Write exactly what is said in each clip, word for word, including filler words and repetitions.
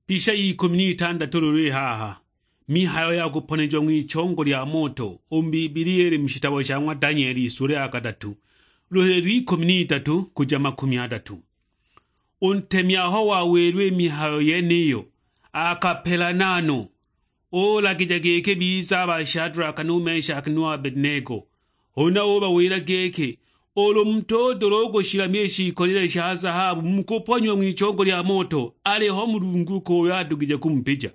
Pisha ya ikumi n'itandatu lulu i haha, mihayo ya kuponejiwa ng'wichongo lya moto u mu Bibilia ili mu shitabo sha ng'wa Danieli isula ya kadatu, luhili lw'ikumi n'itatu kuja makumi adatu. U ntemi aho wawilwe i mihayo yeniyo, akapelana no, ulagija giki bize a ba Shadulaka nu Meshaki nu Abedinego. Huna ubawila giki, "Ulu mutudula u kushilamya i shiikolile sha zahabu mu kuponyiwa ng'wichongo lya moto, aliho Mulungu ki uyo adugije kumupija."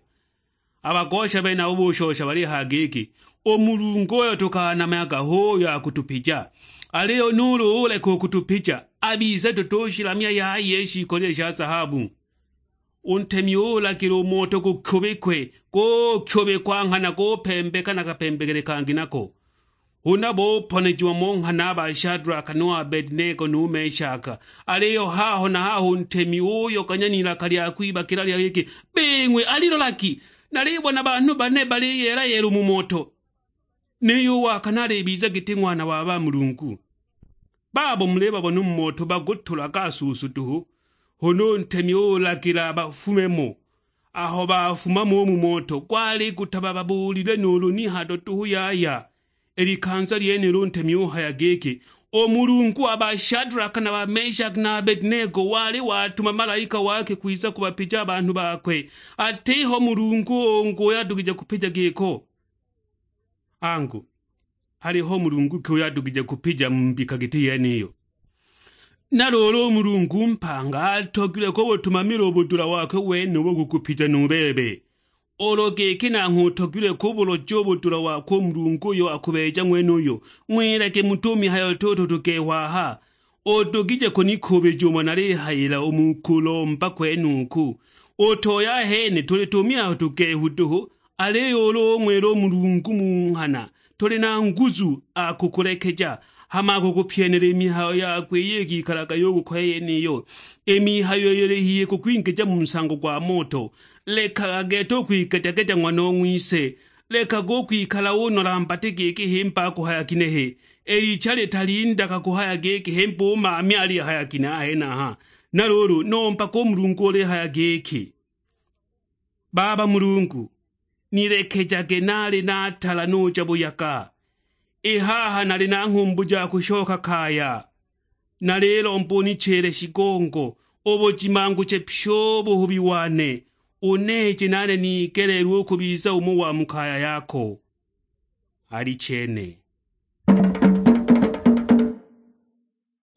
A bagosha benabo bushosha balihaya giki, "U Mulungu uyo tukanamyaga hu uyo akutupija, aliyo nuulu uleka u kutupija, a bise tutushilamya yaya i shiikolile sha zahabu." U ntemi ulagila u moto gukyubikwe, gukyubikwa nghana gupembeka na kapembekele kangi nako. Huna buponejiwa mo nghana a ba Shadulaka nu Abedinego nu Meshaka. Aliyo haho na haho u ntemi uyoganya n'ilaka lya kwibakila lya giki, "Bing'we, alilolagi, nalibona banhu bane baliyeela-yeela u mu moto, niyo u wa kane alibiza giti ng'wana wa bamulungu. Babo mulibabona u mu moto bagutulaga suusu duhu." Huna u ntemi ulagila bafume mo. Aho bafuma mo u mu moto, gwali gutabababuulile nuulu ni hado duhu yaya. I likanza lyenilo u ntemi uhaya giki, "U Mulungu wa ba Shadulaka na ba Meshaki na Abedinego wali watuma malaika wake kwiza kubapija a banhu bakwe, atiho Mulungu ungi uyo adugije kupija giko." Angu, haliho Mulungu ki uyo adugije kupija mu mbika giti yeniyo? Na luulu u Mulungu mpanga atogilwe kubutumamila u budula wakwe wenubo kukupija nu bebe. Ulu giki nanghwe utogilwe kubuloja u budula wakwe u Mulungu uyo akubeeja ng'wenuyo, ng'wilage muti u mihayo tutu tugehu aha. Udugije kunikuubija umo nalihayila u mu kulomba kwenuku? Utoya ahene tuli tumihayo tugehu duhu, aliyo ulu ung'wila u Mulungu mu nghana, tuli na nguzu, akukulekeja, hama akukupyenela i mihayo yakwe iyo ikikalaga yukukoya yeniyo, i mihayo iyo ili hihi kukwingija mu nsango gwa moto. Lekaga gete u kwigeja-geja ng'wanong'wise, lekaga u kwikala unola mbati giki himba akuhaya ginehe. I licha litalindaga kuhaya giki himba u maami alihaya ginehe a henaha. Na luulu, nombaga u Mulungu ulihaya giki, "Baba Mulungu, nilekejage nali natala nuja buyaga. I haha nali na nghumbu ja kushoka kaya. Nalilomba unichile shigongo, ubujimanguche pyi u buhubi wane, uneeje nane nigeleelwe u kubiza umo wa mu kaya yako." Alichene,